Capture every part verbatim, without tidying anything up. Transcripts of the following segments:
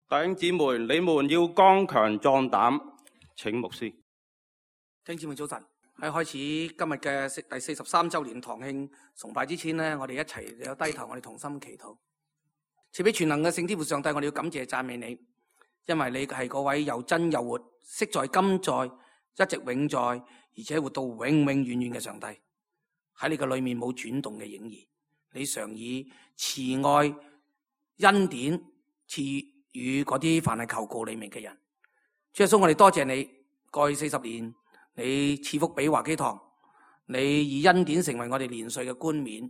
弟兄姊妹，你們要剛強壯膽。請牧師。弟兄姊妹早晨。喺開始今日嘅第四十三周年堂慶崇拜之前呢，我哋一齊有低頭，我哋同心祈禱。賜俾全能嘅聖天父上帝，我哋要感謝讚美你，因為你係嗰位又真又活、昔在今在、一直永在，而且活到永永遠遠嘅上帝。喺你嘅裏面冇轉動嘅影兒，你常以慈愛恩典賜予嗰啲凡係求告你名嘅人。主耶穌，我哋多謝你，過去四十年你賜福俾華基堂，你以恩典成為我哋年歲嘅冠冕，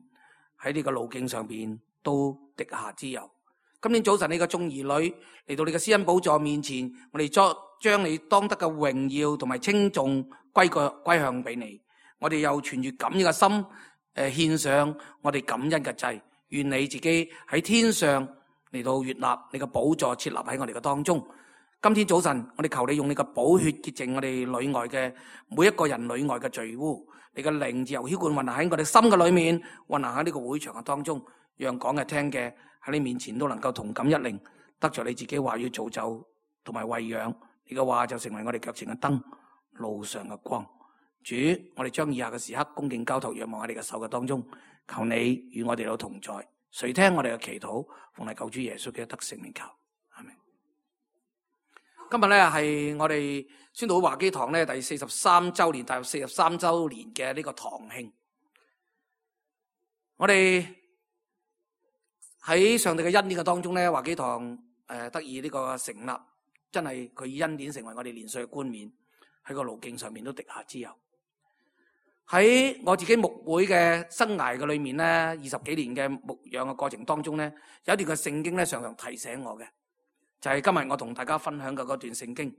喺呢個路徑上邊都滴下之油。今天早晨你嘅眾兒女嚟到你嘅施恩寶座面前，我哋將將你當得嘅榮耀同埋稱頌歸個歸向俾你。我哋又存住感恩嘅心，誒、呃、獻上我哋感恩嘅祭。願你自己喺天上嚟到悅納你嘅寶座設立喺我哋嘅當中。今天早晨我哋求你用你嘅寶血潔淨我哋裏外嘅每一個人裏外嘅罪污。你嘅靈自由澆灌運行喺我哋心嘅裏面，運行喺呢個會場嘅當中，讓講嘅聽嘅喺你面前都能夠同感一靈，得着你自己話語造就同埋餵養。你嘅話就成為我哋腳前嘅燈，路上嘅光。主，我哋將以下嘅時刻恭敬交託仰望喺你嘅手嘅當中，求你與我哋都同在。垂聽我哋嘅祈禱，奉係救主耶穌嘅得勝名求，阿們。今日咧係我哋宣道會華基堂咧第四十三周年，踏入四十三周年嘅呢個堂慶。我哋喺上帝嘅恩典嘅當中咧，華基堂誒、呃、得以呢個成立，真係佢以恩典成為我哋年歲嘅冠冕，喺個路徑上面都滴下之油。喺我自己牧會嘅生涯嘅裏面咧，二十幾年嘅牧養嘅過程當中咧，有一段嘅聖經咧，常常提醒我嘅，就係、是、今日我同大家分享嘅嗰段聖經，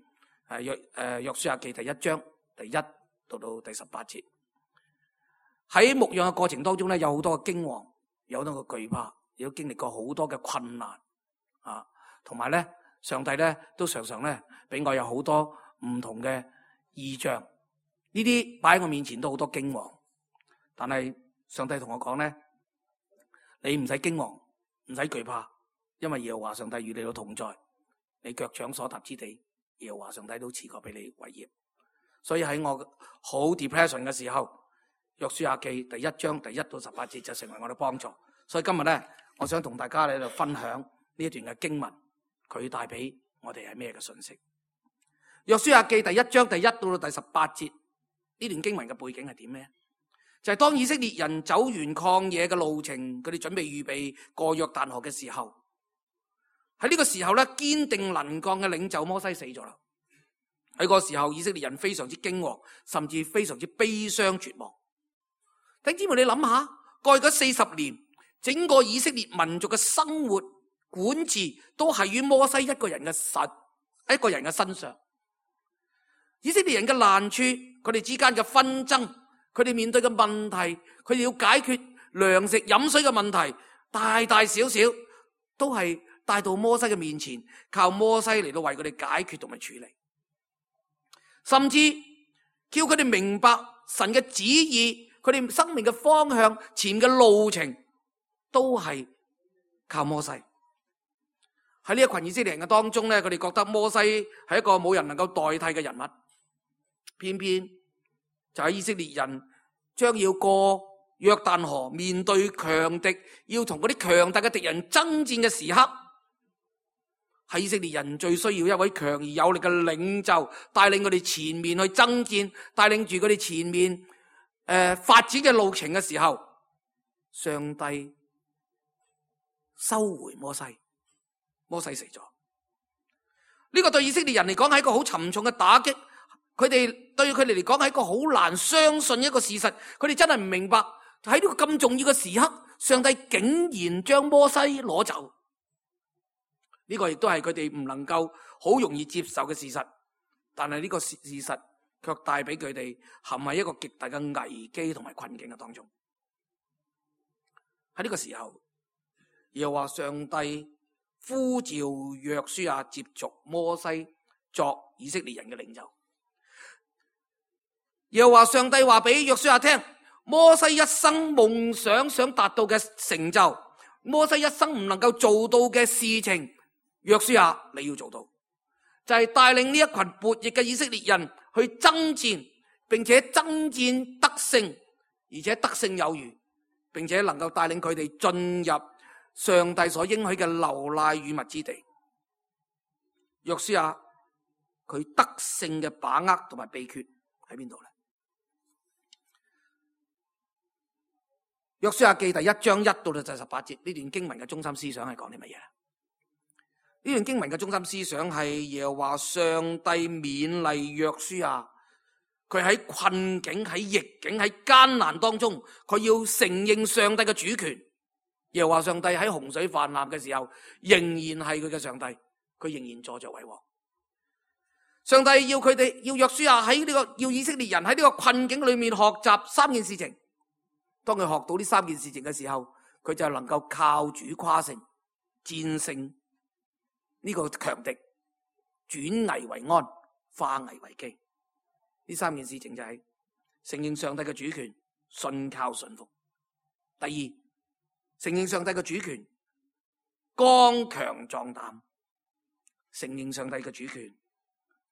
誒約誒約書亞記第一章第一到到第十八節。喺牧養嘅過程當中咧，有好多嘅驚惶，有好多嘅懼怕，亦都經歷過好多嘅困難啊，同埋咧，上帝咧都常常咧俾我有好多唔同嘅異象。呢啲擺喺我面前都好多驚惶，但係上帝同我講咧，你唔使驚惶，唔使懼怕，因為耶和華上帝與你都同在，你腳掌所踏之地，耶和華上帝都賜過俾你為業。所以喺我好 depression 嘅時候，約書亞記第一章第一到十八節就成為我嘅幫助。所以今日咧，我想同大家喺度分享呢一段嘅經文，佢帶俾我哋係咩嘅信息？約書亞記第一章第一到到第十八節。呢段經文嘅背景係點咩？就係、是、當以色列人走完曠野嘅路程，佢哋準備預備過約旦河嘅時候，喺呢個時候咧，堅定能幹嘅領袖摩西死咗啦。喺個時候，以色列人非常之驚惶，甚至非常之悲傷絕望。弟兄姊妹，你諗下，過去嗰四十年，整個以色列民族嘅生活管治都係於摩西一個人嘅實一個人嘅身上。以色列人嘅難處，佢哋之間嘅紛爭，佢哋面對嘅問題，佢哋要解決糧食飲水嘅問題，大大小小都係帶到摩西嘅面前，靠摩西嚟到為佢哋解決同埋處理，甚至叫佢哋明白神嘅旨意，佢哋生命嘅方向、前嘅路程，都係靠摩西。喺呢一群以色列人嘅當中咧，佢哋覺得摩西係一個冇人能夠代替嘅人物。偏偏就喺以色列人將要過約旦河，面對強敵，要同嗰啲強大嘅敵人爭戰嘅時刻，係以色列人最需要一位強而有力嘅領袖，帶領佢哋前面去爭戰，帶領住佢哋前面誒、呃、發展嘅路程嘅時候，上帝收回摩西，摩西死咗。呢、這個對以色列人嚟講係一個好沉重嘅打擊。佢哋對佢哋嚟講係一個好難相信一個事實，佢哋真係唔明白喺呢個咁重要嘅時刻，上帝竟然將摩西攞走。呢個亦都係佢哋唔能夠好容易接受嘅事實，但係呢個事實卻帶俾佢哋陷喺一個極大嘅危機同埋困境嘅當中。喺呢個時候，又話上帝呼召約書亞接續摩西作以色列人嘅領袖。又話上帝話俾約書亞聽，摩西一生夢想想達到嘅成就，摩西一生唔能夠做到嘅事情，約書亞你要做到，就係帶領呢一群悖逆嘅以色列人去爭戰，並且爭戰得勝，而且得勝有餘，並且能夠帶領佢哋進入上帝所應許嘅流奶與蜜之地。約書亞佢得勝嘅把握同埋秘訣喺邊度呢？約書亞記第一章一到到第十八節，呢段經文嘅中心思想係講啲乜嘢？呢段經文嘅中心思想係耶和華上帝勉勵約書亞，佢喺困境、喺逆境、喺艱難當中，佢要承認上帝嘅主權。耶和華上帝喺洪水泛濫嘅時候，仍然係佢嘅上帝，佢仍然坐着為王。上帝要佢哋，要約書亞喺呢個，要以色列人喺呢個困境裏面學習三件事情。當佢學到呢三件事情嘅時候，佢就能夠靠主誇勝，戰勝呢個強敵，轉危為安，化危為機。呢三件事情就係承認上帝嘅主權，信靠順服。第二，承認上帝嘅主權，剛強壯膽，承認上帝嘅主權，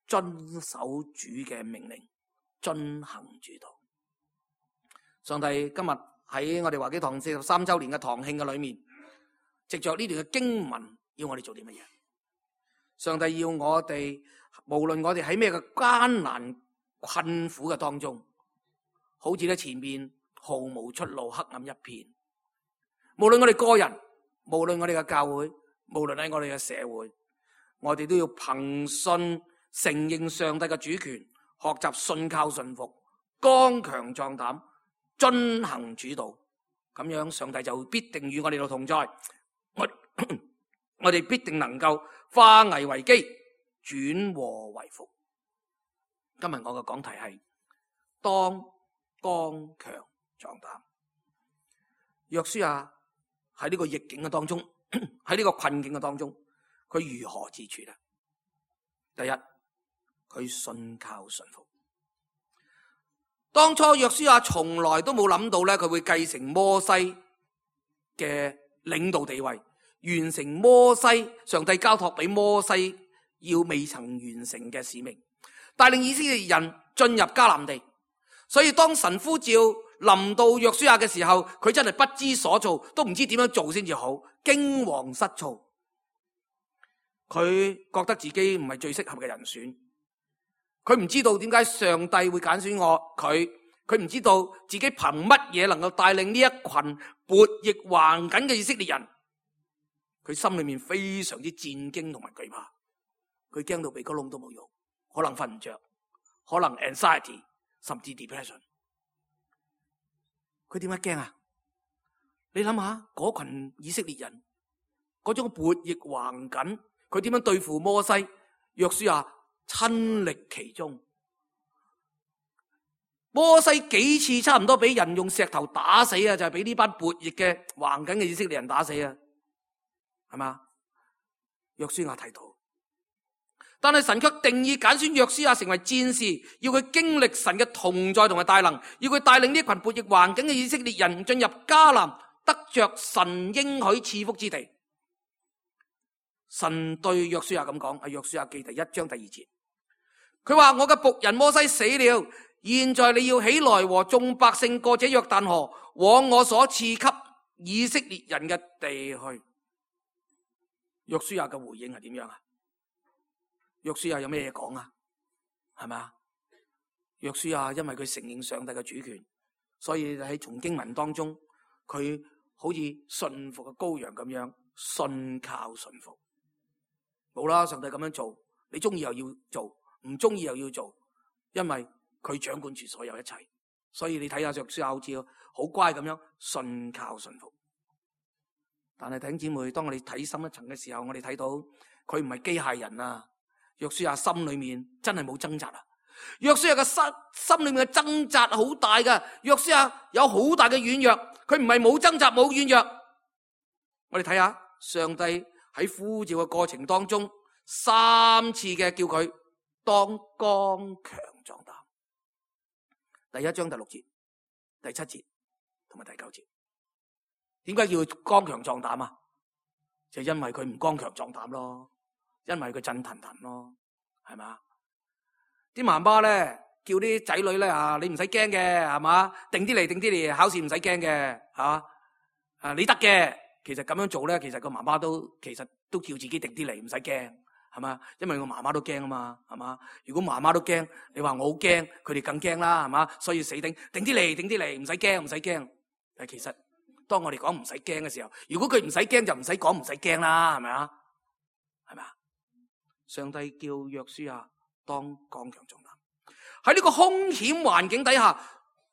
遵守主嘅命令，遵行主道。上帝今日喺我哋華基堂四十三周年嘅堂慶嘅裏面，藉着呢段嘅經文，要我哋做啲乜嘢？上帝要我哋，無論我哋喺咩嘅艱難困苦嘅當中，好似咧前面毫無出路，黑暗一片。無論我哋個人，無論我哋嘅教會，無論喺我哋嘅社會，我哋都要憑信承認上帝嘅主權，學習信靠順服，剛強壯膽，遵行主道。咁樣上帝就必定與我哋同在，我我哋必定能夠化危為機，轉禍為福。今日我嘅講題係當剛強壯膽。約書亞喺呢個逆境嘅當中，喺呢個困境嘅當中，佢如何自處呢？第一，佢信靠順服。當初約書亞從來都冇諗到咧，佢會繼承摩西嘅領導地位，完成摩西上帝交託俾摩西要未曾完成嘅使命，帶領以色列人進入迦南地。所以當神呼召臨到約書亞嘅時候，佢真係不知所措，都唔知點樣做先至好，驚惶失措。佢覺得自己唔係最適合嘅人選。佢唔知道點解上帝會揀選我佢，佢唔知道自己憑乜嘢能夠帶領呢一群悖逆橫緊嘅以色列人。佢心裏面非常之戰驚同埋懼怕，佢驚到鼻哥窿都冇用，可能瞓唔着，可能 anxiety 甚至 depression。佢點解驚啊？你諗下嗰群以色列人嗰種悖逆橫緊，佢點樣對付摩西？約書亞親歷其中，摩西幾次差唔多俾人用石頭打死啊！就係俾呢班悖逆嘅橫緊嘅以色列人打死啊，係嘛？約書亞睇到，但係神卻定意揀選約書亞成為戰士，要佢經歷神嘅同在同埋大能，要佢帶領呢群悖逆橫緊嘅以色列人進入迦南，得着神應許賜福之地。神對約書亞咁講，喺約書亞記第一章第二節，佢話：我嘅僕人摩西死了，現在你要起來和眾百姓過這約旦河，往我所賜給以色列人嘅地去。約書亞嘅回應係點樣啊？約書亞有咩嘢講啊？係咪啊？約書亞因為佢承認上帝嘅主權，所以喺從經文當中，佢好似順服嘅羔羊咁樣，信靠順服。冇啦，上帝咁樣做，你中意又要做，唔中意又要做，因為佢掌管住所有一切。所以你睇下約書亞好似好乖咁樣，信靠順服。但係弟兄姊妹，當我哋睇深一層嘅時候，我哋睇到佢唔係機械人啊！約書亞心裏面真係冇掙扎啊！約書亞嘅心心裏面嘅掙扎好大噶，約書亞有好大嘅軟弱，佢唔係冇掙扎冇軟弱。我哋睇下上帝喺呼召嘅過程當中，三次嘅叫佢當剛強壯膽。第一章第六節、第七節同埋第九節，點解叫佢剛強壯膽啊？就因為佢唔剛強壯膽咯。因為佢震騰騰咯，係嘛？啲媽媽咧叫啲仔女咧啊，你唔使驚嘅，係嘛？定啲嚟，定啲嚟，考試唔使驚嘅，吓啊你得嘅。其實咁樣做咧，其實個媽媽都其實都叫自己定啲嚟，唔使驚，係嘛？因為個媽媽都驚啊嘛，係嘛？如果媽媽都驚，你話我好驚，佢哋更驚啦，係嘛？所以死頂定啲嚟，定啲嚟，唔使驚，唔使驚。但其實當我哋講唔使驚嘅時候，如果佢唔使驚，就唔使講唔使驚啦，係咪啊？係咪啊？上帝叫約書亞當剛強壯膽，喺呢個兇險環境底下，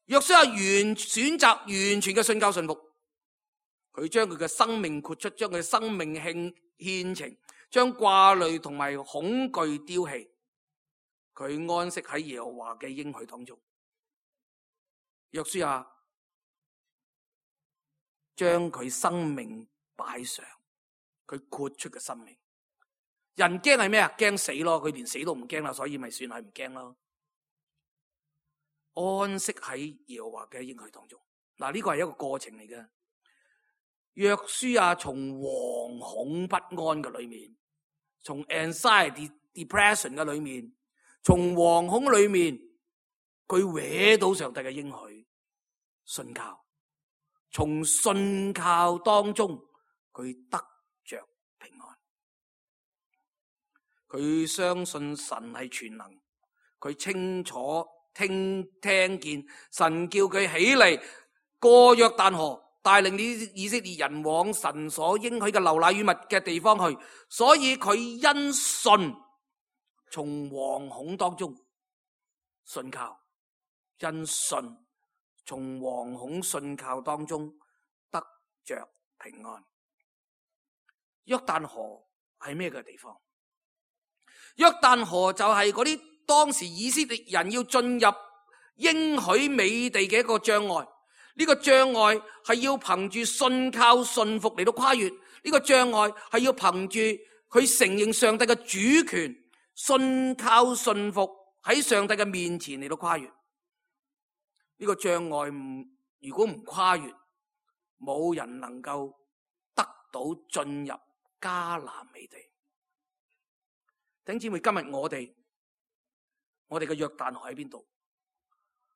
約書亞完選擇完全嘅信靠信服，佢將佢嘅生命豁出，將佢嘅生命獻獻呈，將掛慮同埋恐懼丟棄，佢安息喺耶和華嘅應許當中。約書亞將佢生命擺上，佢豁出嘅生命。人驚係咩啊？驚死咯，佢連死都唔驚啦，所以咪算係唔驚咯。安息喺耶和華嘅應許當中，嗱，呢個係一個過程嚟嘅。約書亞從惶恐不安嘅裏面，從 anxiety depression 嘅裏面，從惶恐裏面，佢搲到上帝嘅應許，信靠，從信靠當中佢得着平安。佢相信神係全能，佢清楚聽聽見神叫佢起嚟過約旦河，帶領啲以色列人往神所應許嘅流奶與蜜嘅地方去，所以佢因信從惶恐當中信靠，因信從惶恐信靠當中得着平安。約旦河係咩嘅地方？約旦河就係嗰啲當時以色列人要進入應許美地嘅一個障礙，呢個障礙係要憑住信靠信服嚟到跨越，呢個障礙係要憑住佢承認上帝嘅主權，信靠信服喺上帝嘅面前嚟到跨越。呢個障礙唔如果唔跨越，冇人能夠得到進入迦南美地。弟兄姊妹，今日我哋我哋嘅約旦河喺邊度？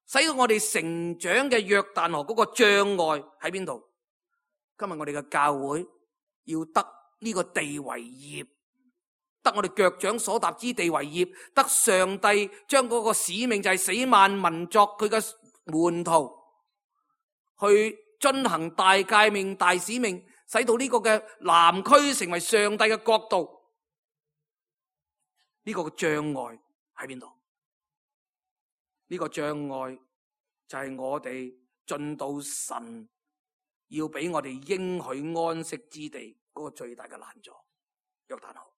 使到我哋成長嘅約旦河嗰個障礙喺邊度？今日我哋嘅教會要得呢個地為業，得我哋腳掌所踏之地為業，得上帝將嗰個使命就係使萬民作佢嘅門徒，去遵行大誡命、大使命，使到呢個嘅南區成為上帝嘅國度。呢個障礙喺邊度？呢個障礙就係我哋進到神要俾我哋應許安息之地嗰個最大嘅難阻。約旦河，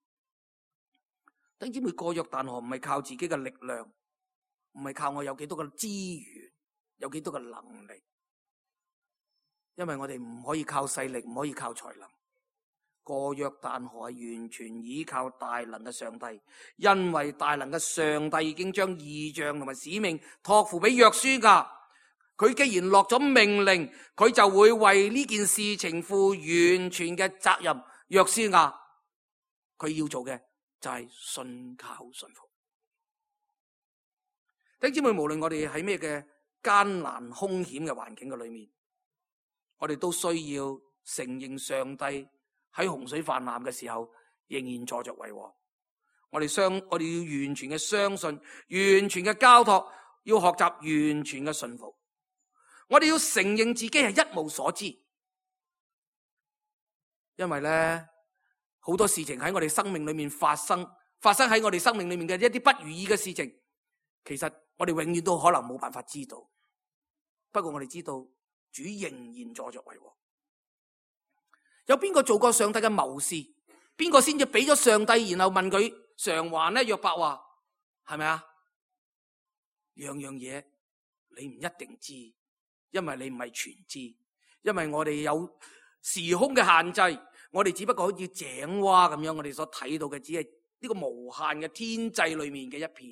弟兄姊妹，過約旦河唔係靠自己嘅力量，唔係靠我有幾多嘅資源，有幾多嘅能力，因為我哋唔可以靠勢力，唔可以靠才能。過約旦河係完全依靠大能嘅上帝，因為大能嘅上帝已經將異象同埋使命託付俾約書亞。佢既然落咗命令，佢就會為呢件事情負完全嘅責任。約書亞佢要做嘅就係信靠信服。弟兄姊妹，無論我哋喺咩嘅艱難兇險嘅環境嘅裏面，我哋都需要承認上帝喺洪水泛濫嘅時候，仍然坐着為王。我哋相，我哋要完全嘅相信，完全嘅交託，要學習完全嘅信服。我哋要承認自己係一無所知，因為咧好多事情喺我哋生命裏面發生，發生喺我哋生命裏面嘅一啲不如意嘅事情，其實我哋永遠都可能冇辦法知道。不過我哋知道，主仍然坐着為王。有邊個做過上帝嘅謀士？邊個先至俾咗上帝，然後問佢償還呢？約伯話係咪啊？樣樣嘢你唔一定知，因為你唔係全知，因為我哋有時空嘅限制，我哋只不過好似井蛙咁樣，我哋所睇到嘅只係呢個無限嘅天際裏面嘅一片。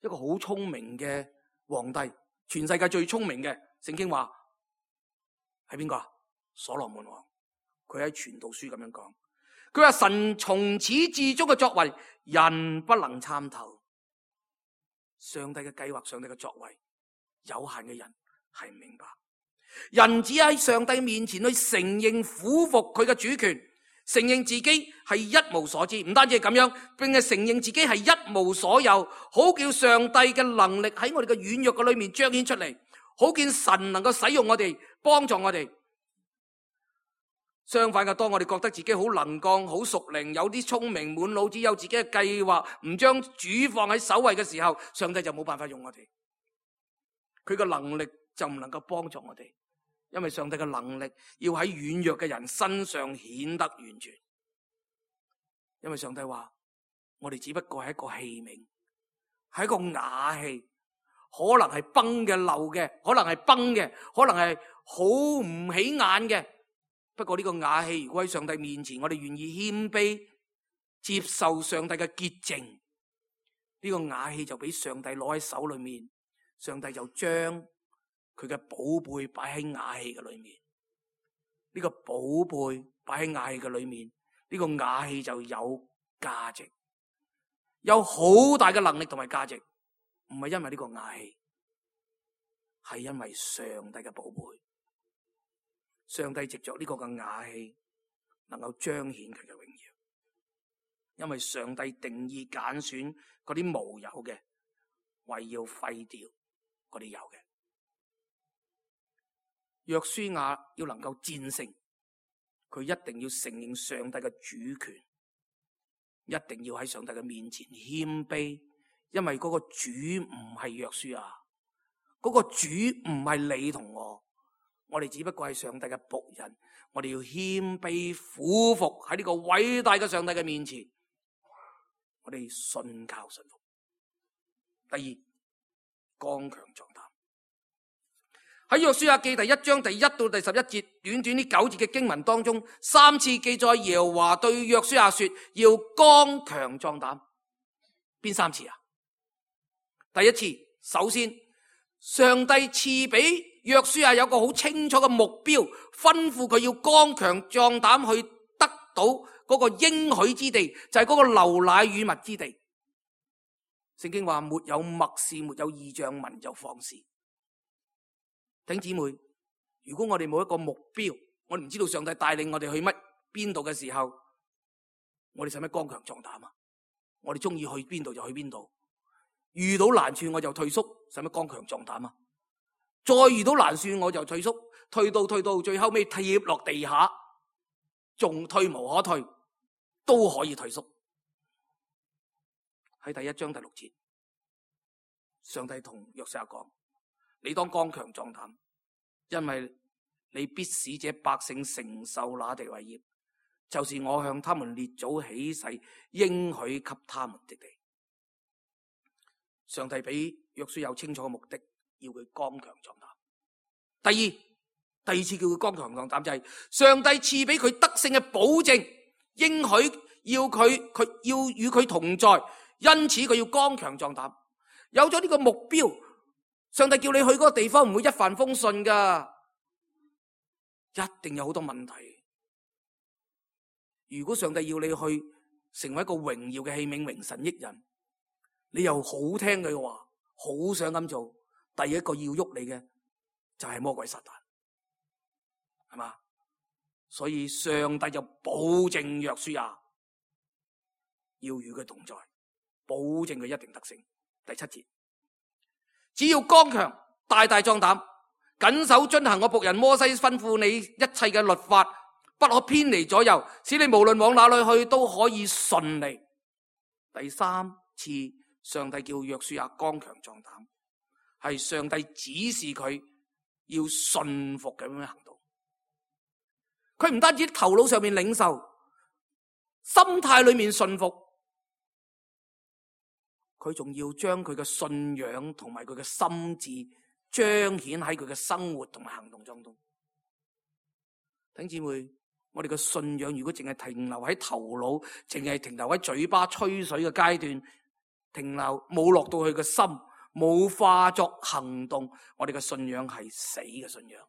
一個好聰明嘅皇帝，全世界最聰明嘅，聖經話係邊個啊？所羅門王，佢喺傳道書咁樣講，佢話神從始至終嘅作為，人不能參透。上帝嘅計劃，上帝嘅作為，有限嘅人係唔明白。人只喺上帝面前去承認俯伏佢嘅主權，承認自己係一無所知，唔單止係咁樣，並係承認自己係一無所有，好叫上帝嘅能力喺我哋嘅軟弱嘅裏面彰顯出嚟，好見神能夠使用我哋，幫助我哋。相反嘅，當我哋覺得自己好能幹、好熟靈、有啲聰明、滿腦子有自己嘅計劃，唔將主放喺首位嘅時候，上帝就冇辦法用我哋，佢嘅能力就唔能夠幫助我哋，因為上帝嘅能力要喺軟弱嘅人身上顯得完全。因為上帝話，我哋只不過係一個器皿，係一個瓦器，可能係崩嘅、漏嘅，可能係崩嘅，可能係好唔起眼嘅。不過呢個瓦器，如果喺上帝面前，我哋願意謙卑接受上帝嘅潔淨，呢個瓦器就俾上帝攞喺手裏面，上帝就將佢嘅寶貝擺喺瓦器嘅裏面。呢個寶貝擺喺瓦器嘅裏面，呢個瓦器就有價值，有好大嘅能力同埋價值。唔係因為呢個瓦器，係因為上帝嘅寶貝。上帝藉着呢個嘅瓦器，能夠彰顯佢嘅榮耀。因為上帝定意揀選嗰啲無有嘅，為要廢掉嗰啲有嘅。約書亞要能夠戰勝，佢一定要承認上帝嘅主權，一定要喺上帝嘅面前謙卑，因為嗰個主唔係約書亞，嗰個主唔係你同我。我哋只不過係上帝嘅僕人，我哋要謙卑俯伏喺呢個偉大嘅上帝嘅面前，我哋信靠信服。第二，剛強壯膽。喺約書亞記第一章第一到第十一節，短短呢九節嘅經文當中，三次記載耶和華對約書亞說要剛強壯膽。邊三次啊？第一次，首先上帝賜俾約書亞有個好清楚嘅目標，吩咐佢要剛強壯膽去得到嗰個應許之地，就係嗰個流奶與蜜之地。聖經話沒有默示，沒有異象，民就放肆。弟兄姊妹，如果我哋冇一個目標，我哋唔知道上帝帶領我哋去乜邊度嘅時候，我哋使乜剛強壯膽啊？我哋中意去邊度就去邊度，遇到難處我就退縮，使乜剛強壯膽啊？再遇到難處我就退縮，退到退到最後尾貼落地下，仲退無可退，都可以退縮。喺第一章第六節，上帝同約書亞講：你當剛強壯膽，因為你必使這百姓承受那地為業，就是我向他們列祖起誓應許給他們的地。上帝俾約書亞有清楚嘅目的，要佢剛強壯膽。第二，第二次叫佢剛強壯膽就係、是、上帝賜俾佢得勝嘅保證，應許要佢佢要與佢同在，因此佢要剛強壯膽。有咗呢個目標，上帝叫你去嗰個地方唔會一帆風順噶，一定有好多問題。如果上帝要你去成為一個榮耀嘅器皿，榮神益人，你又好聽佢嘅話，好想咁做，第一個要喐你嘅就係魔鬼撒旦，係嘛？所以上帝就保證約書亞要與佢同在，保證佢一定得勝。第七節，只要剛強，大大壯膽，謹守遵行我僕人摩西吩咐你一切嘅律法，不可偏離左右，使你無論往哪裏去都可以順利。第三次上帝叫約書亞剛強壯膽，係上帝指示佢要順服咁樣行動。佢唔單止頭腦上面領受，心態裏面順服，佢仲要將佢嘅信仰同埋佢嘅心智彰顯喺佢嘅生活同埋行動當中。弟兄姊妹，我哋嘅信仰如果淨係停留喺頭腦，淨係停留喺嘴巴吹水嘅階段，停留冇落到佢嘅心，冇化作行動，我哋嘅信仰係死嘅信仰。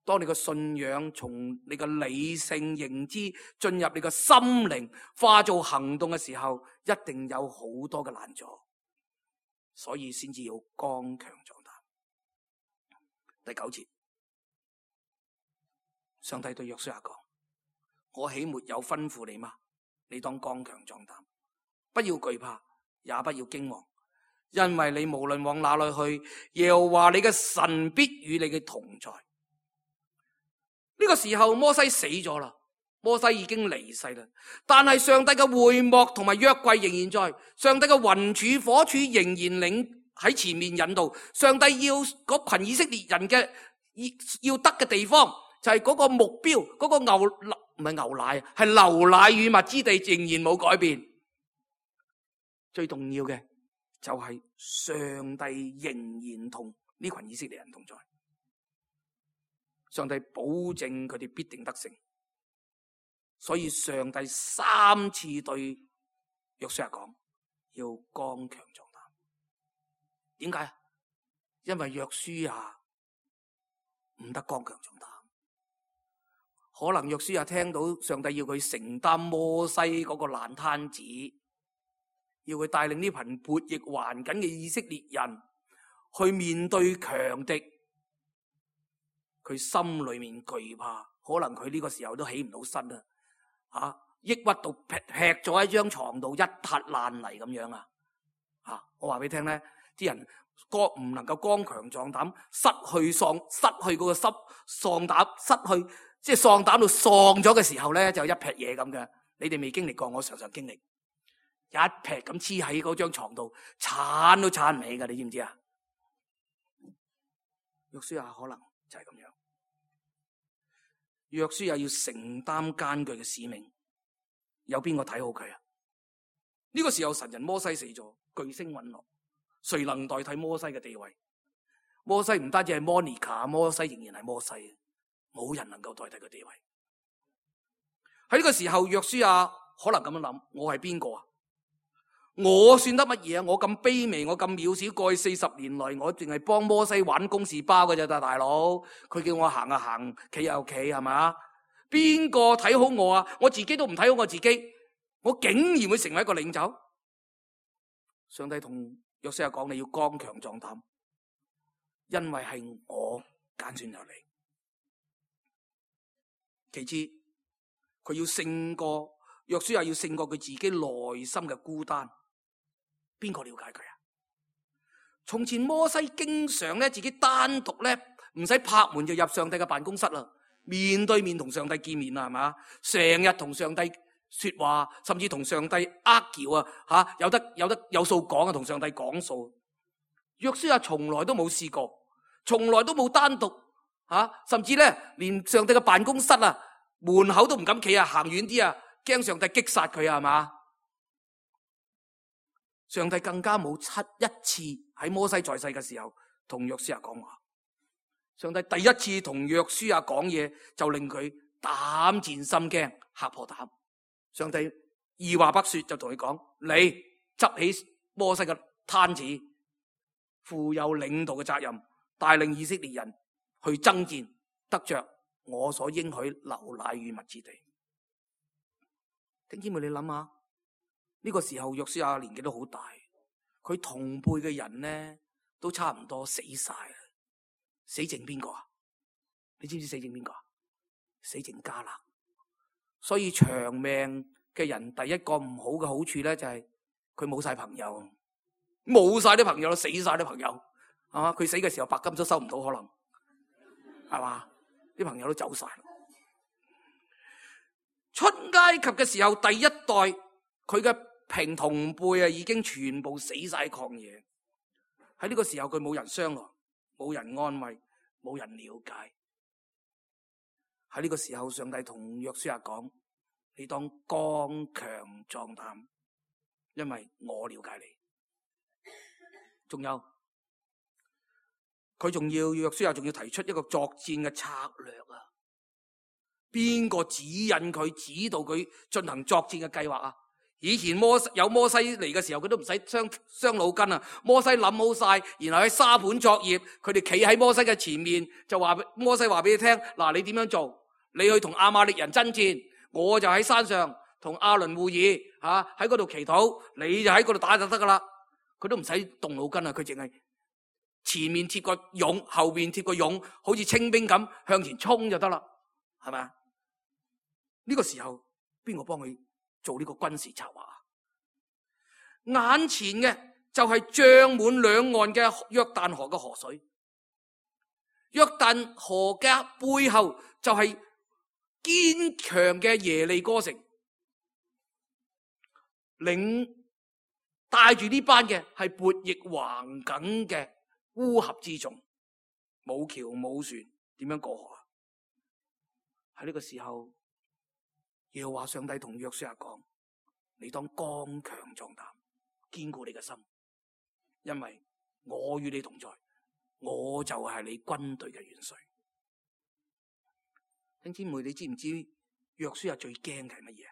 當你個信仰從你個理性認知進入你個心靈，化做行動嘅時候，一定有好多嘅難阻，所以先至要剛強壯膽。第九節，上帝對約書亞講：我豈沒有吩咐你嗎？你當剛強壯膽，不要懼怕，也不要驚惶，因為你無論往哪裏去，耶和華你嘅神必與你嘅同在。呢個時候摩西死咗啦，摩西已經離世啦，但係上帝嘅會幕同埋約櫃仍然在，上帝嘅雲柱火柱仍然領喺前面引導。上帝要嗰群以色列人嘅要得嘅地方，就係嗰個目標，嗰個牛唔係牛奶，係流奶與蜜之地，仍然冇改變。最重要嘅就係上帝仍然同呢群以色列人同在。上帝保證佢哋必定得勝，所以上帝三次對約書亞講要剛強壯膽。點解？因為約書亞唔得剛強壯膽。可能約書亞聽到上帝要佢承擔摩西嗰個爛攤子，要佢帶領呢群悖逆頑梗嘅以色列人去面對強敵。佢心裏面懼怕，可能佢呢個時候都起唔到身啦，啊，抑鬱到劈劈咗喺張床度一塌爛泥咁樣啊！啊，我話俾你聽咧，啲人剛唔能夠剛強壯膽，失去喪，失去嗰個濕喪膽，失去即係喪膽到喪咗嘅時候咧，就一劈嘢咁嘅。你哋未經歷過，我常常經歷，一劈咁黐喺嗰張床度，鏟都鏟唔起噶，你知唔知啊？約書亞可能就係咁樣。約書亞要承擔艱巨嘅使命，有邊個睇好佢啊？呢個時候神人摩西死咗，巨星隕落，誰能代替摩西嘅地位？摩西唔單止係 Monica， 摩西仍然係摩西，冇人能夠代替佢地位。喺呢個時候，約書亞可能咁樣諗：我係邊個啊？我算得乜嘢啊？我咁卑微，我咁渺小，過去四十年來，我淨係幫摩西玩公事包嘅啫，大佬。佢叫我行啊行，企又企，係咪？邊個睇好我啊？我自己都唔睇好我自己，我竟然會成為一個領袖？上帝同約書亞講：你要剛強壯膽，因為係我揀選咗你。其次，佢要勝過約書亞，要勝過佢自己內心嘅孤單。邊個了解佢啊？從前摩西經常咧自己單獨咧唔使拍門就入上帝嘅辦公室啦，面對面同上帝見面啦，係嘛？成日同上帝說話，甚至同上帝呃橋啊，吓有得有得有數講啊，同上帝講數。約書亞從來都冇試過，從來都冇單獨吓，甚至咧連上帝嘅辦公室啊門口都唔敢企啊，行遠啲啊，驚上帝擊殺佢啊，係嘛？上帝更加冇七一次喺摩西在世嘅時候同約書亞講話。上帝第一次同約書亞講嘢就令佢膽戰心驚，嚇破膽。上帝二話不說就同佢講：你執起摩西嘅攤子，負有領導嘅責任，帶領以色列人去爭戰，得着我所應許流奶與蜜之地。弟兄姊妹，你諗下？呢個時候約書亞年紀都好大，佢同輩嘅人呢都差唔多死晒啦，死剩邊個啊？你知唔知死剩邊個啊？死剩迦勒。所以長命嘅人第一個唔好嘅好處咧就係佢冇晒朋友，冇晒啲朋友，死晒啲朋友，係嘛？佢死嘅時候白金都收唔到，可能係嘛？啲朋友都走晒。出埃及嘅時候，第一代佢嘅平同輩啊，已經全部死晒曠野。喺呢個時候，佢冇人商量，冇人安慰，冇人了解。喺呢個時候，上帝同約書亞講：你當剛強壯膽，因為我了解你。仲有，佢仲要約書亞仲要提出一個作戰嘅策略啊！邊個指引佢、指導佢進行作戰嘅計劃啊？以前摩西有摩西嚟嘅時候，佢都唔使傷傷腦筋啊！摩西諗好晒，然後喺沙盤作業，佢哋企喺摩西嘅前面，就話摩西話俾你聽：嗱，你點樣做？你去同亞瑪力人爭戰，我就喺山上同亞倫會議，吓喺嗰度祈禱，你就喺嗰度打就得噶啦。佢都唔使動腦筋啊！佢淨係前面貼個勇，後邊貼個勇，好似清兵咁向前衝就得啦，係咪啊？呢個時候邊個幫佢做呢個軍事策劃？眼前嘅就係漲滿兩岸嘅約旦河嘅河水，約旦河嘅背後就係堅強嘅耶利哥城，領帶住呢班嘅係悖逆橫梗嘅烏合之眾，冇橋冇船，點樣過河啊？喺呢個時候，耶和華上帝同約書亞講：你當剛強壯膽，堅固你嘅心，因為我與你同在，我就係你軍隊嘅元帥。弟兄姊妹，你知唔知約書亞最驚嘅係乜嘢？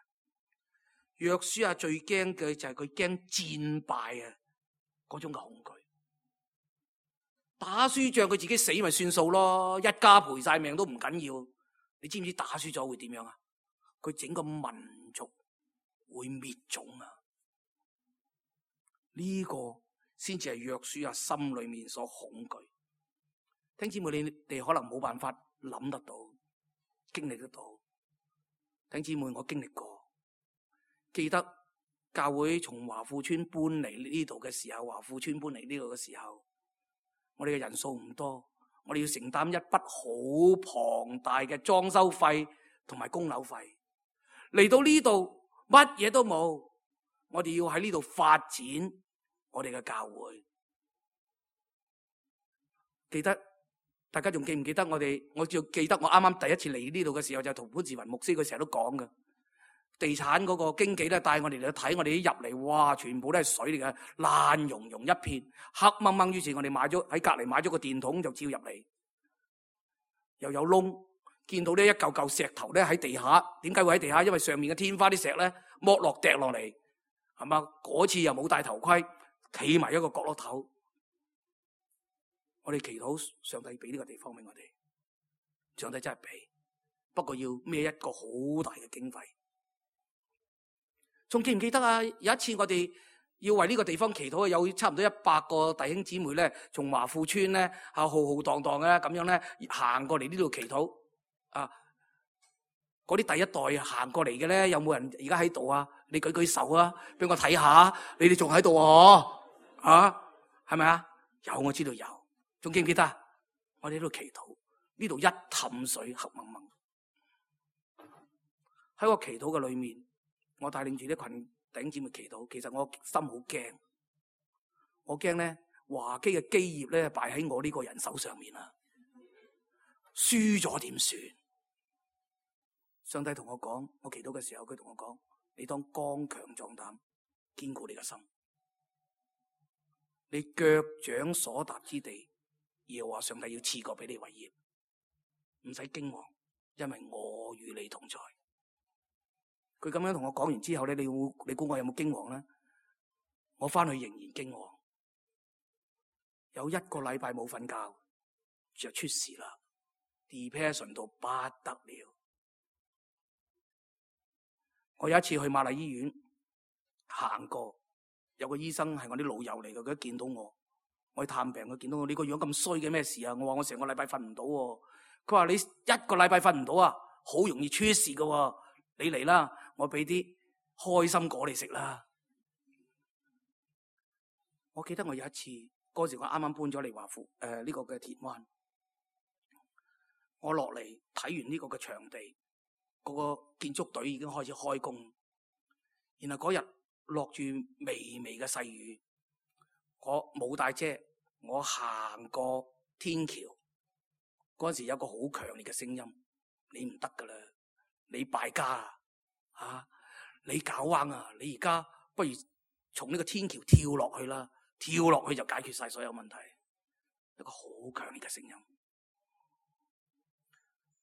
約書亞最驚嘅就係佢驚戰敗啊，嗰種嘅恐懼。打輸仗佢自己死咪算數咯，一家賠晒命都唔緊要。你知唔知打輸咗會點樣啊？佢整個民族會滅種啊！呢個先至係約書亞心裏面所恐懼。弟兄姊妹，你哋可能冇辦法諗得到、經歷得到。弟兄姊妹，我經歷過。記得教會從華富村搬嚟呢度嘅時候，華富村搬嚟呢度嘅時候，我哋嘅人數唔多，我哋要承擔一筆好龐大嘅裝修費同埋供樓費。嚟到呢度乜嘢都冇，我哋要喺呢度發展我哋嘅教會。記得大家仲記唔記得我哋？我就記得我啱啱第一次嚟呢度嘅時候，就同潘志雲牧師佢成日都講嘅。地產嗰個經紀咧帶我哋嚟睇，我哋一入嚟，哇，全部都係水嚟嘅，爛溶溶一片，黑掹掹。於是我哋買咗喺隔籬買咗個電筒就照入嚟，又有窿，見到呢一嚿嚿石頭咧喺地下。點解會喺地下？因為上面嘅天花啲石咧剝落掟落嚟，係嘛？嗰次又冇戴頭盔，企埋一個角落頭。我哋祈禱上帝俾呢個地方俾我哋，上帝真係俾，不過要孭一個好大嘅經費。仲記唔記得啊？有一次我哋要為呢個地方祈禱，有差唔多一百個弟兄姊妹咧，從華富村咧浩浩蕩蕩嘅咁樣咧行過嚟呢度祈禱啊！嗰啲第一代行過嚟嘅咧，有冇人而家喺度啊？你舉舉手啊，俾我睇下，你哋仲喺度啊？啊，係咪啊？有，我知道有。仲記唔記得？我哋喺度祈禱，呢度一氹水黑蒙蒙。喺個祈禱嘅裏面，我帶領住啲群弟兄姊妹祈禱，其實我心好驚，我驚咧華基嘅基業咧敗喺我呢個人手上面啊！輸咗點算？上帝同我講，我祈禱嘅時候，佢同我講：你當剛強壯膽，堅固你嘅心，你腳掌所踏之地，耶和華上帝要賜過俾你為業，唔使驚惶，因為我與你同在。佢咁樣同我講完之後咧，你會你估我有冇驚惶咧？我翻去仍然驚惶，有一個禮拜冇瞓覺就出事啦 ，depression 到不得了。我有一次去瑪麗醫院行過，有個醫生係我啲老友嚟嘅，佢一見到我，我去探病，佢見到我，你個樣咁衰嘅咩事啊？我話我成個禮拜瞓唔到。佢話你一個禮拜瞓唔到啊，好容易出事噶。你嚟啦，我俾啲開心果你食啦。我記得我有一次嗰時我啱啱搬咗嚟華富誒呢個嘅田灣，我落嚟睇完呢個嘅場地，嗰個建築隊已經開始開工。然後嗰日落住微微嘅細雨，我冇帶遮，我行過天橋嗰陣時有個好強烈嘅聲音：你唔得噶啦！你敗家啊！啊！你搞彎啊！你而家不如從呢個天橋跳落去啦，跳落去就解決晒所有問題。一個好強烈嘅聲音。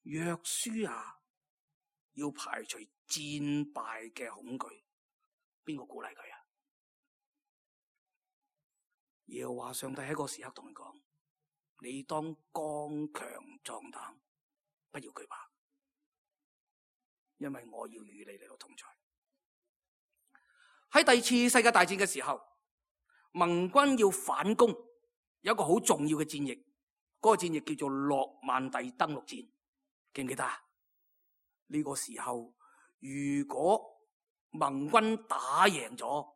約書亞要排除戰敗嘅恐懼，邊個鼓勵佢啊？耶和華上帝喺嗰個時刻同佢講：你當剛強壯膽，不要懼怕，因為我要與你嚟到同在。喺第二次世界大戰嘅時候，盟軍要反攻，有一個好重要嘅戰役，嗰、那個戰役叫做諾曼第登陸戰，記唔記得啊？呢、這個時候，如果盟軍打贏咗，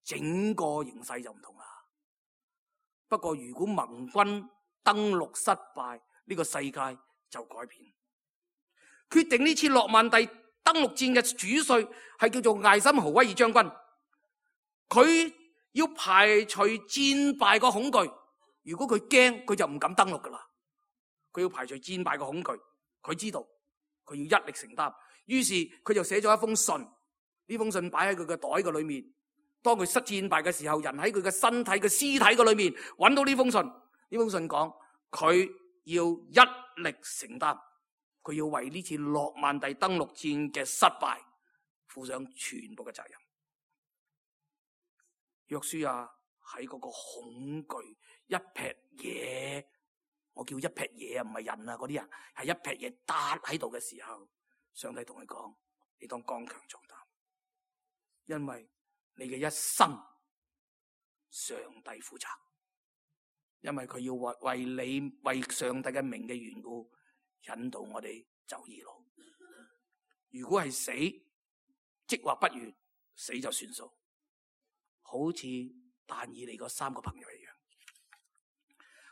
整個形勢就唔同啦。不過如果盟軍登陸失敗，呢、這個世界就改變。決定呢次諾曼第登陸戰嘅主帥係叫做艾森豪威爾將軍，佢要排除戰敗個恐懼。如果佢驚，佢就唔敢登陸噶啦。佢要排除戰敗個恐懼，佢知道佢要一力承擔。於是佢就寫咗一封信，呢封信擺喺佢嘅袋嘅裏面。當佢失戰敗嘅時候，人喺佢嘅身體嘅屍體嘅裏面揾到呢封信。呢封信講佢要一力承擔，佢要為呢次諾曼第登陸戰嘅失敗負上全部嘅責任。約書亞喺嗰個恐懼一撇嘢，我叫一撇嘢啊，唔係人啊，嗰啲人係一撇嘢搭喺度嘅時候，上帝同佢講：你當剛強壯膽，因為你嘅一生上帝負責，因為佢要為為你為上帝嘅名嘅緣故引導我哋走義路。如果係死，即或不願，死就算數。好似但以理嗰三個朋友一樣。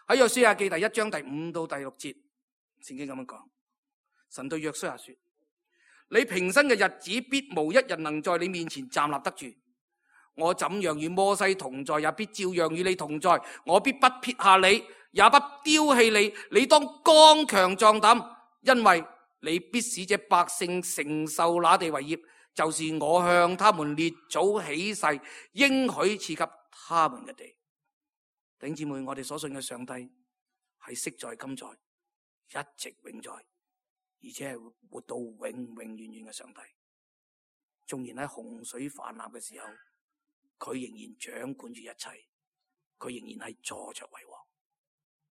喺約書亞記第一章第五到第六節，聖經咁樣講：神對約書亞說，你平生嘅日子必無一人能在你面前站立得住。我怎樣與摩西同在，也必照樣與你同在。我必不撇下你，也不丟棄你。你當剛強壯膽，因為你必使這百姓承受那地為業，就是我向他們列祖起誓應許賜給他們嘅地。弟兄姊妹，我哋所信嘅上帝係昔在今在，一直永在，而且係活到永永遠遠嘅上帝。縱然喺洪水泛濫嘅時候，佢仍然掌管住一切，佢仍然係坐著為王。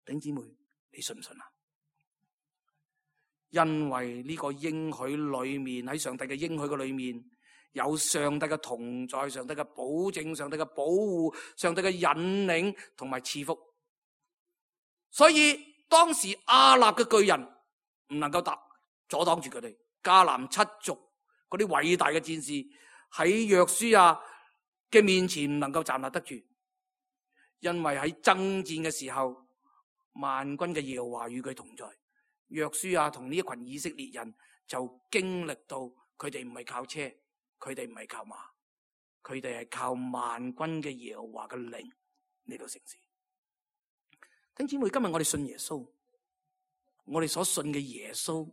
弟兄姊妹，你信唔信啊？因為呢個應許裏面，喺上帝嘅應許嘅裏面，有上帝嘅同在，上帝嘅保證，上帝嘅保護，上帝嘅引領同埋賜福。所以當時亞納嘅巨人唔能夠打阻擋住佢哋，迦南七族嗰啲偉大嘅戰士喺約書亞嘅面前唔能夠站立得住，因為喺爭戰嘅時候，萬軍嘅耶和華與佢同在。約書亞同呢一群以色列人就經歷到，佢哋唔係靠車，佢哋唔係靠馬，佢哋係靠萬軍嘅耶和華嘅靈嚟到成事。弟兄姊妹，今日我哋信耶穌，我哋所信嘅耶穌，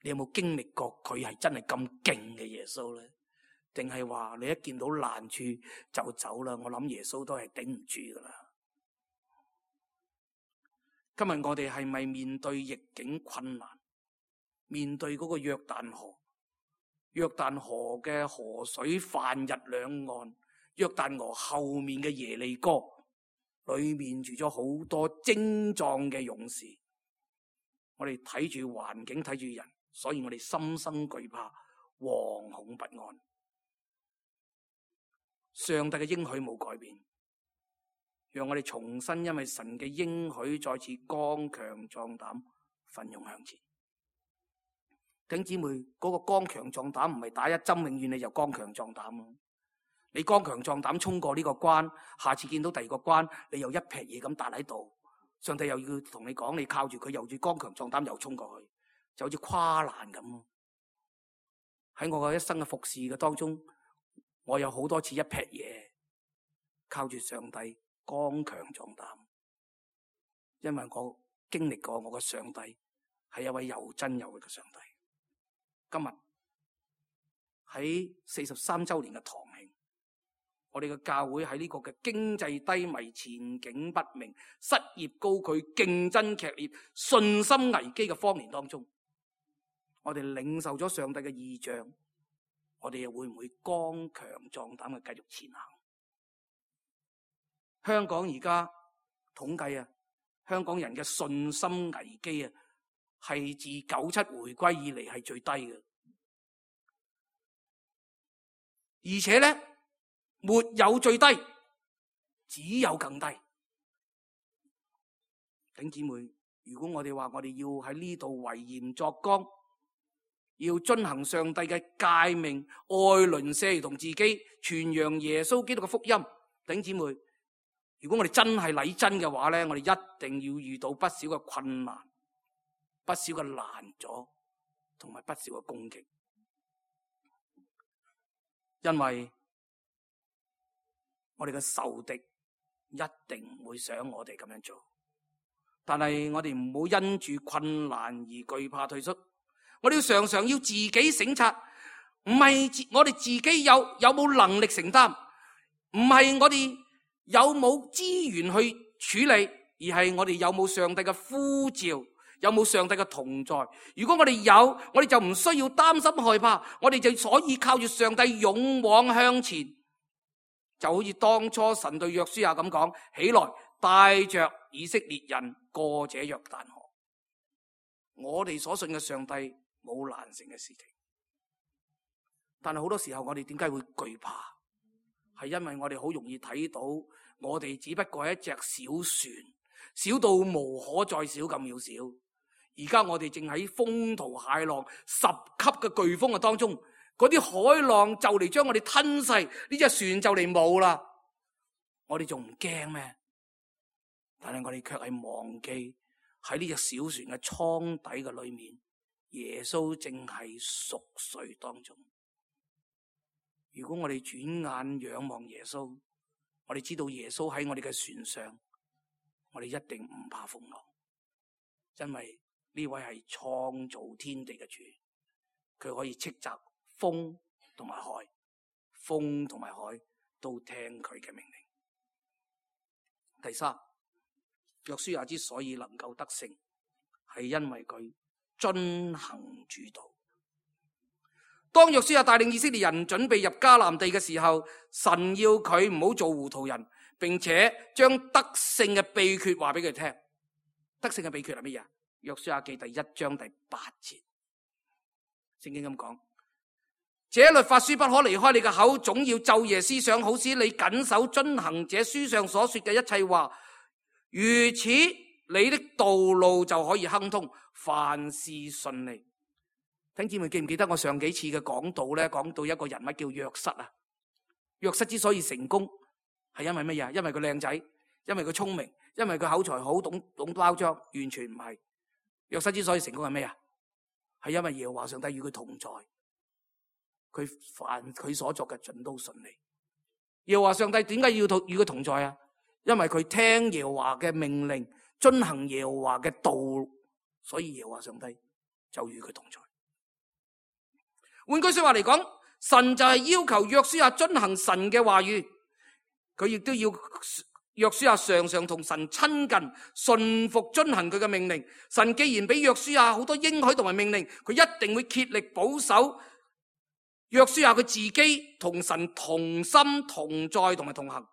你有冇經歷過佢係真係咁勁嘅耶穌咧？定係話你一見到難處就走啦？我諗耶穌都係頂唔住噶啦。今日我哋係咪面對逆境困難，面對嗰個約旦河，約旦河嘅河水泛日兩岸，約旦河後面嘅耶利哥裏面住咗好多精壯嘅勇士，我哋睇住環境，睇住人，所以我哋心生懼怕，惶恐不安。上帝嘅應許冇改變，讓我哋重新因為神嘅應許再次剛強壯膽，奮勇向前。弟兄姊妹，嗰個剛強壯膽唔係打一針永遠你就剛強壯膽咯。你剛強壯膽衝過呢個關，下次見到第二個關，你又一撇嘢咁搭喺度，上帝又要同你講，你靠住佢，又住剛強壯膽又衝過去，就好似跨欄咁。喺我嘅一生嘅服侍嘅當中，我有好多次一撇嘢，靠住上帝剛強壯膽，因為我經歷過我嘅上帝係一位又真又活嘅上帝。今日喺四十三周年嘅堂慶，我哋嘅教會喺呢個嘅經濟低迷、前景不明、失業高企、競爭劇烈、信心危機嘅荒年當中，我哋領受咗上帝嘅異象，我哋又會唔會剛強壯膽嘅繼續前行？香港而家統計啊，香港人嘅信心危機啊，係自九七回歸以嚟係最低嘅，而且咧沒有最低，只有更低。弟兄姊妹，如果我哋話我哋要喺呢度為鹽作光，要遵行上帝嘅誡命，愛鄰舍同自己，傳揚耶穌基督嘅福音，弟兄姊妹，如果我哋真係禮真嘅話咧，我哋一定要遇到不少嘅困難，不少嘅難阻，同埋不少嘅攻擊，因為我哋嘅仇敵一定唔會想我哋咁樣做。但係我哋唔好因住困難而懼怕退縮，我哋要常常要自己省察，唔係我哋自己有有冇能力承擔，唔係我哋有冇資源去處理，而係我哋有冇上帝嘅呼召，有冇上帝嘅同在。如果我哋有，我哋就唔需要擔心害怕，我哋就可以靠住上帝勇往向前。就好似當初神對約書亞咁講，起來帶着以色列人過這約旦河。我哋所信嘅上帝冇難成嘅事情，但係好多時候我哋點解會懼怕？係因為我哋好容易睇到我哋只不過係一隻小船，小到無可再小咁渺小。而家我哋正喺風濤駭浪十級嘅颶風嘅當中，嗰啲海浪就嚟將我哋吞噬，呢隻船就嚟冇啦。我哋仲唔驚咩？但係我哋卻係忘記喺呢隻小船嘅艙底嘅裏面，耶穌正係熟睡當中。如果我哋轉眼仰望耶穌，我哋知道耶穌喺我哋嘅船上，我哋一定唔怕風浪，因為呢位係創造天地嘅主，佢可以斥責風同埋海，風同埋海都聽佢嘅命令。第三，約書亞之所以能夠得勝，係因為佢遵行主道。當約書亞帶領以色列人準備入迦南地嘅時候，神要佢唔好做糊塗人，並且將得勝嘅秘訣話俾佢聽。得勝嘅秘訣係乜嘢？約書亞記第一章第八節，聖經咁講：這律法書不可離開你嘅口，總要晝夜思想，好使你謹守遵行這書上所說嘅一切話。如此，你的道路就可以亨通，凡事順利。弟兄姊妹，記唔記得我上幾次嘅講道咧？講到一個人物叫約瑟啊。約瑟之所以成功，係因為乜嘢？因為佢靚仔，因為佢聰明，因為佢口才好，懂懂包裝。完全唔係。約瑟之所以成功係咩啊？係因為耶和華上帝與佢同在，佢凡佢所作嘅盡都順利。耶和華上帝點解要與佢同在啊？因為佢聽耶和華嘅命令，遵行耶和華嘅道，所以耶和華上帝就與佢同在。換句說話嚟講，神就係要求約書亞遵行神嘅話語，佢亦都要約書亞常常同神親近，順服遵行佢嘅命令。神既然俾約書亞好多應許同埋命令，佢一定會竭力保守約書亞佢自己同神同心同在同埋同行。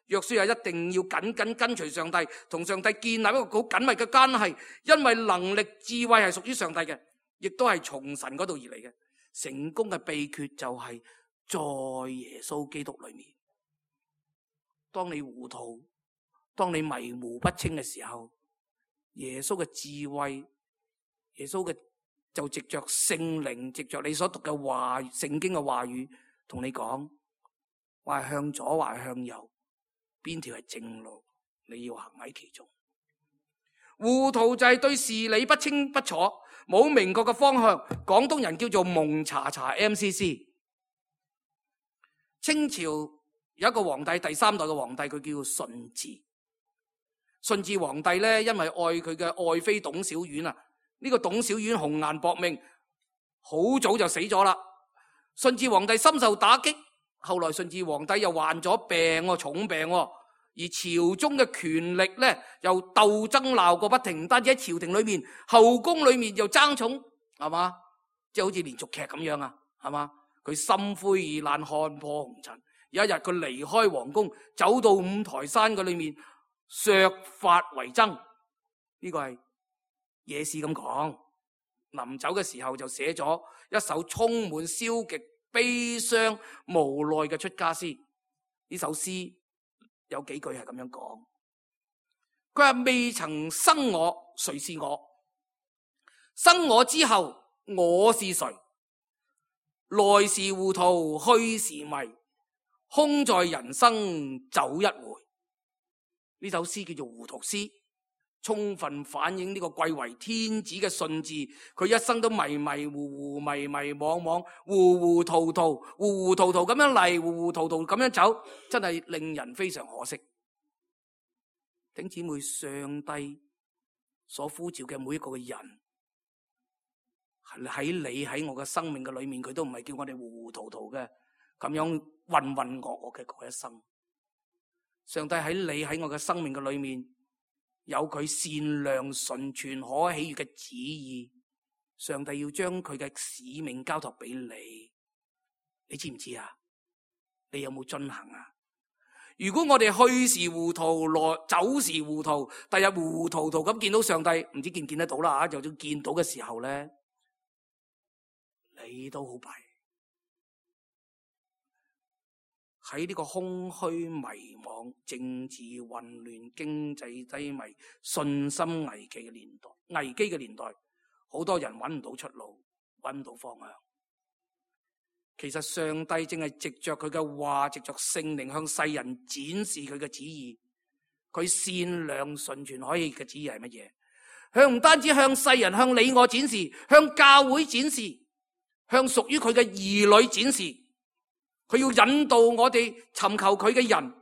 約書亞一定要緊緊跟隨上帝，同上帝建立一個好緊密嘅關係，因為能力智慧係屬於上帝嘅，亦都係從神嗰度而嚟嘅。成功嘅秘訣就係在耶穌基督裏面。當你糊塗，當你迷糊不清嘅時候，耶穌嘅智慧，耶穌嘅就藉着聖靈，藉着你所讀嘅話，聖經嘅話語，同你講，話係向左，話係向右，邊條係正路，你要行喺其中。糊塗就係對事理不清不楚，冇明確嘅方向。廣東人叫做蒙查查 M C C。 清朝有一個皇帝，第三代嘅皇帝，佢叫順治。順治皇帝咧，因為愛佢嘅愛妃董小宛啊，呢、這個董小宛紅顏薄命，好早就死咗啦。順治皇帝深受打擊，後來順治皇帝又患咗病，重病，而朝中嘅權力咧又鬥爭鬧個不停，唔單止喺朝廷裏面，後宮裏面又爭寵，係嘛？即係好似連續劇咁樣啊，係嘛？佢心灰意冷，看破紅塵。有一日佢離開皇宮，走到五台山嘅裏面，削髮為僧。呢個係野史咁講。臨走嘅時候就寫咗一首充滿消極、悲傷、無奈嘅出家詩。呢首詩有幾句係咁樣講，佢話：未曾生我，誰是我？生我之後，我是誰？來時糊塗，去時迷，空在人生走一回。呢首詩叫做糊塗詩，充分反映呢個貴為天子嘅順治，佢一生都迷迷糊糊、迷迷惘惘、糊糊塗塗、糊糊塗塗咁樣嚟，糊糊塗塗咁樣走，真係令人非常可惜。弟兄姊妹，上帝所呼召嘅每一個人，喺你喺我嘅生命嘅裏面，佢都唔係叫我哋糊糊塗塗嘅咁樣渾渾噩噩嘅過一生。上帝喺你喺我嘅生命嘅裏面，有佢善良、純全、可喜悅嘅旨意。上帝要將佢嘅使命交託俾你，你知唔知啊？你有冇遵行啊？如果我哋去時糊塗，來走時糊塗，第日糊糊塗塗咁見到上帝，唔知見唔見得到啦啊！就算見到嘅時候咧，你都好弊。喺呢個空虛、迷惘、政治混亂、經濟低迷、信心危機嘅年代，危機嘅年代，好多人揾唔到出路，揾唔到方向。其實上帝正係藉着佢嘅話，藉着聖靈向世人展示佢嘅旨意。佢善良、純全、可喜嘅旨意係乜嘢？向唔單止向世人、向你我展示，向教會展示，向屬於佢嘅兒女展示。佢要引導我哋尋求佢嘅人，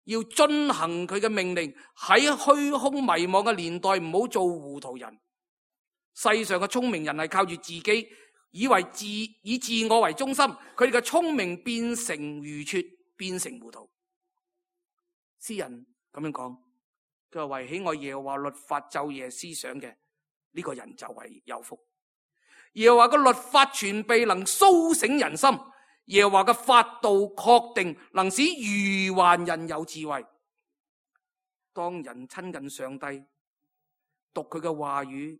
要遵行佢嘅命令。喺虛空迷惘嘅年代，唔好做糊塗人。世上嘅聰明人係靠住自己，以為自以自我為中心，佢哋嘅聰明變成愚拙，變成糊塗。詩人咁樣講，佢話：為喜愛耶和華律法晝夜思想嘅，呢個人就為有福。耶和華嘅律法全備，能蘇醒人心。耶和華嘅法度確定，能使愚頑人有智慧。當人親近上帝，讀佢嘅話語，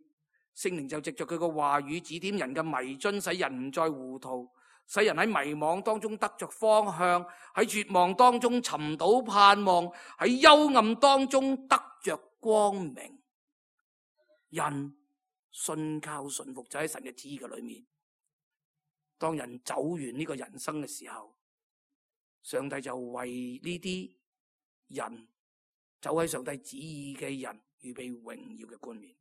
聖靈就藉着佢嘅話語指點人嘅迷津，使人唔再糊塗，使人喺迷惘當中得着方向，喺絕望當中尋到盼望，喺幽暗當中得着光明。人信靠順服就喺神嘅旨意嘅裏面。當人走完呢個人生嘅時候，上帝就為呢啲人走喺上帝旨意嘅人預備榮耀嘅冠冕。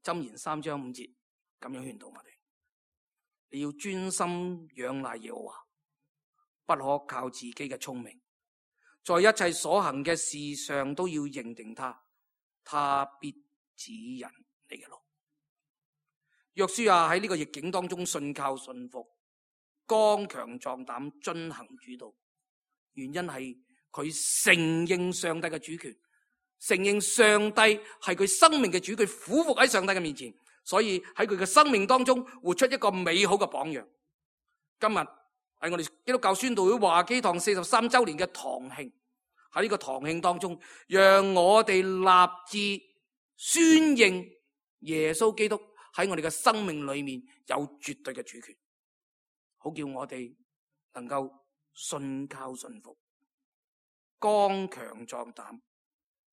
箴言三章五節咁樣勸導我哋：你要專心仰賴耶和華，不可靠自己嘅聰明，在一切所行嘅事上都要認定他，他必指引你嘅路。約書亞喺呢個逆境當中信靠順服，剛強壯膽，遵行主道。原因係佢承認上帝嘅主權，承認上帝係佢生命嘅主，佢俯伏喺上帝嘅面前，所以喺佢嘅生命當中活出一個美好嘅榜樣。今日係我哋基督教宣道會華基堂四十三周年嘅堂慶，喺呢個堂慶當中，讓我哋立志宣認耶穌基督喺我哋嘅生命裏面有絕對嘅主權，好叫我哋能夠信靠順服，剛強壯膽，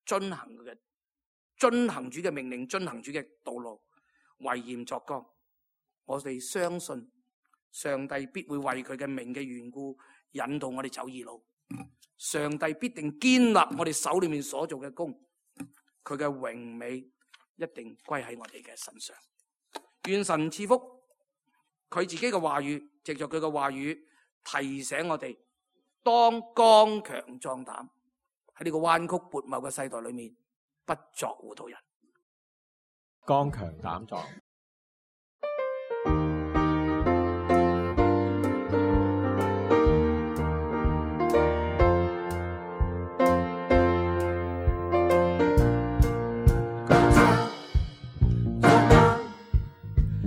遵行佢嘅遵行主嘅命令，遵行主嘅道路，為嚴作剛。我哋相信上帝必會為佢嘅名嘅緣故引導我哋走義路，上帝必定堅立我哋手裏面所做嘅工，佢嘅榮美一定歸喺我哋嘅身上。願神賜福佢自己嘅話語，藉着佢嘅話語提醒我哋，當剛強壯膽，喺呢個彎曲悖謬嘅世代裏面，不作糊塗人。剛強膽壯。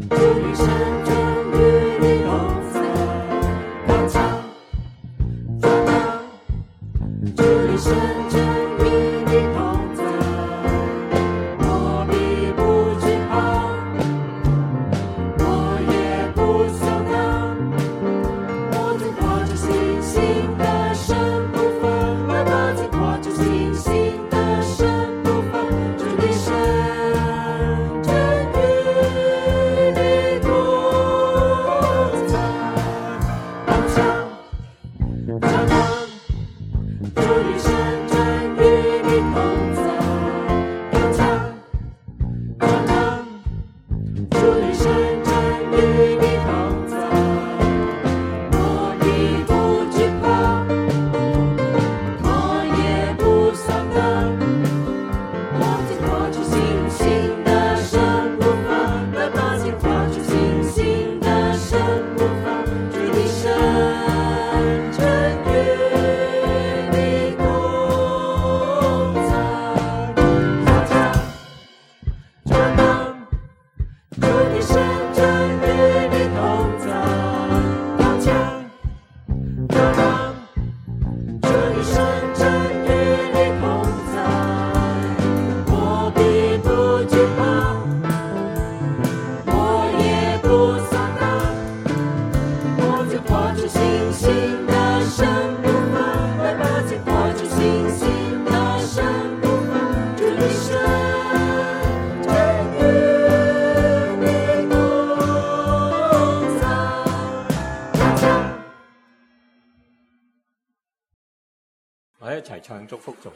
一生將與你我哋一齊唱祝福頌。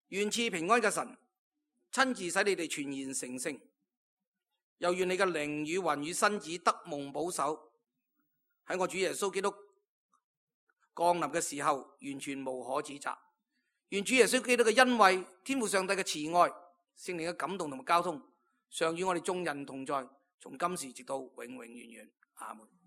願賜平安嘅神親自使你哋全然成聖，又願你嘅靈與魂與身子得蒙保守，喺我主耶穌基督降臨嘅時候完全無可指責。願主耶穌基督嘅恩惠、天父上帝嘅慈愛、聖靈嘅感動同埋交通，常與我哋眾人同在，從今時直到永永遠遠。阿門。